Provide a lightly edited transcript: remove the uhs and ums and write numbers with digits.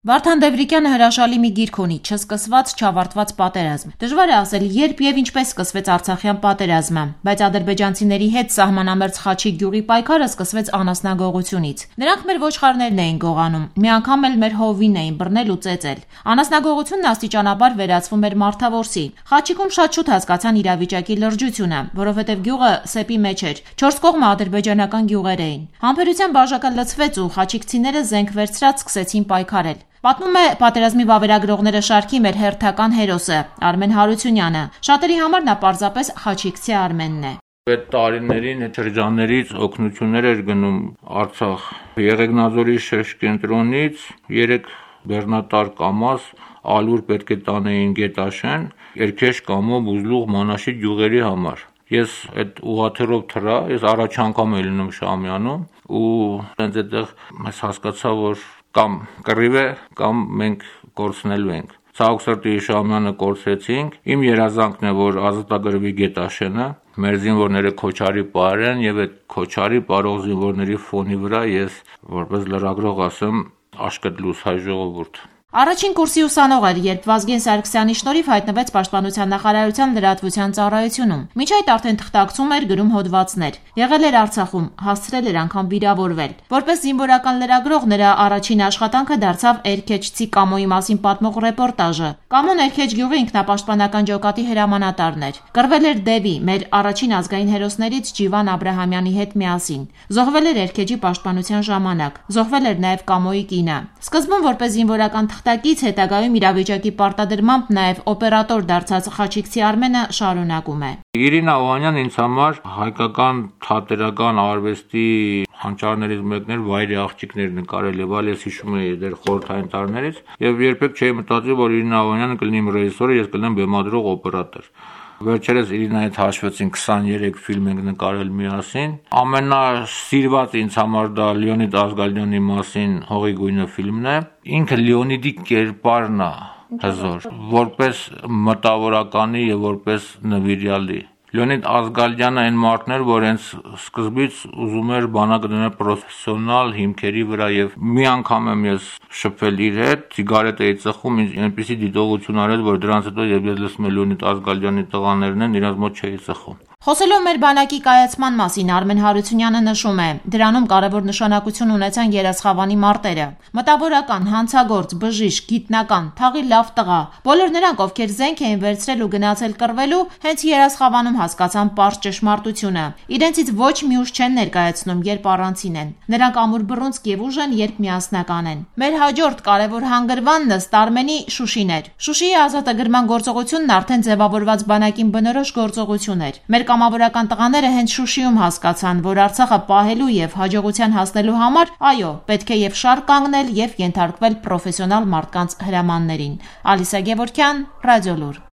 Վարդան Դևրիկյանը հրաշալի մի գիրք ունի՝ «Չսկսված, չավարտված պատերազմ»։ Դժվար է ասել, երբ եւ ինչպես սկսվեց Արցախյան պատերազմը, բայց ադրբեջանցիների հետ սահմանամերձ Խաչիկ գյուղի պայքարը սկսվեց անասնագողությունից։ Նրանք մեր ոչխարներն էին գողանում, մի անգամ էլ մեր հովին էին բռնել ու ծեծել։ Անասնագողությունն աստիճանաբար վերածվում էր մարդավորսի։ Խաչիկում շատ շուտ հասկացան իրավիճակի լրջությունը, որովհետեւ գյուղը սեպի մեջ էր, 4 կողմը ադրբեջանական գյուղեր էին։ Համբերության բաժակը լցվեց ու խաչիկցիները զենք վերցրած սկսեցին պայքարել։ Պատմում է պատերազմի վավերագրողները շարքի մեր հերթական հերոսը Արմեն Հարությունյանը։ Շատերի համար նա պարզապես խաչիկցի Արմենն է։ Այդ տարիներին այդ շրջաններից օգնություններ էր գնում Արցախ։ Եղեգնաձորի շրջկենտրոնից 3 բեռնատար կամազ ալուր պետք է տանեին Գետաշեն, Երգեշ, Կամո, Բուզլուղ, Մանաշի գյուղերի համար։ Ես այդ ուղաթիռով թռա, ես առաջ անգամ եմ լինում Շամյանում ու հենց այդտեղ ես հասկացա, որ կամ կռիվ է, կամ մենք կորցնելու ենք։ Ցավոք սրտի Շամյանը կորցրեցինք։ Իմ երազանքն է, որ ազատագրվի Գետաշենը, մեր զինվորները Քոչարի պարեն եւ այդ Քոչարի պարող զինվորների ֆոնի վրա ես որպես լրագրող ասեմ աշկդ լույս հայ ժողովուրդ։ Առաջին կուրսի ուսանող էր, երբ Վազգեն Սարգսյանի շնորհիվ հայտնվեց Պաշտպանության նախարարության լրատվության ծառայությունում։ Մինչ այդ արդեն թղթակցում էր, գրում հոդվածներ։ Եղել էր Արցախում, հասցրել էր անգամ վիրավորվել։ Որպես զինվորական լրագրող նրա առաջին աշխատանքը դարձավ Էրքեչցի Կամոյի մասին պատմող ռեպորտաժը։ Կամոն Էրքեչ գյուղի ինքնապաշտպանական ջոկատի հրամանատարն էր։ Կռվել էր Դևի, մեր առաջին ազգային հերոսներից Ջիվան Աբրահամյանի հետ միասին։ Զոհվել էր Էրքեչի պաշտպանության ժամանակ։ Զոհվել էր նաև Կամոյի կինը։ Սկզբում որպես զինվորական թղթակից, հետագայում իրավիճակի պարտադրմամբ նաև օպերատոր դարձած խաչիկցի Արմենը շարունակում է։ Իրինա Օհանյան ինձ համար հայկական թատերական արվեստի հանճարներից մեկն էր, վայրի աղջիկներ նկարել եւ այլ, ես հիշում եի դեռ խորհրդային տարիներից եւ երբեք չէի մտածել, որ Իրինա Օհանյանը կլինի իմ ռեժիսորը, ես կլինեմ բեմադրող օպերատոր։ Վերջերս Իրինայի հետ հաշվեցին 23 ֆիլմ ենք նկարել միասին։ Ամենասիրված ինձ համար դա Լեոնիդ Ազգալյանի մասին Հողի գույնը ֆիլմն է։ Ինքը Լեոնիդի կերպարն է հզոր, որպես մտավորականի եւ որպես նվիրյալի։ Լեոնիդ Ազգալյանը այն մարդն էր, որ հենց սկզբից ուզում էր բանակը դնել պրոֆեսիոնալ հիմքերի վրա եւ մի անգամ եմ ես շփվել իր հետ, սիգարետ էի ծխում, ինձ այնպեսի դիտողություն արել, որ դրանից հետո երբ ես լսում եմ Լեոնիդ Ազգալյանի տղաներն են, իրաց մոտ չէի ծխում։ Խոսելով մեր բանակի կայացման մասին Արմեն Հարությունյանը նշում է. դրանում կարևոր նշանակություն ունեցան երասխավանի մարտերը։ Մտավորական, հանցագործ, բժիշկ, գիտնական, թաղի լավ տղա։ Բոլոր նրանք, ովքեր զենք էին վերցրել ու գնացել կռվելու, հենց երասխավանում հասկացան պարզ ճշմարտությունը։ Իրենցից ոչ մի ուժ չեն ներկայացնում, երբ առանցին են։ Նրանք ամուր բռունցք եւ ուժ են, երբ միասնական են։ Մեր հաջորդ կարևոր հանգրվանն ըստ Արմենի Շուշին էր։ Շուշիի ազատագրման գործողությունն արդեն ձևավորված բանակին բնորոշ գործողություն էր։ Մեր կամավորական տղաները հենց Շուշիում հասկացան, որ Արցախը պահելու եւ հաջողության հասնելու համար, այո, պետք է եւ շարք կանգնել եւ ենթարկվել պրոֆեսիոնալ մարդկանց հրամաններին։ Ալիսա Գևորգյան, Ռադիոլուր։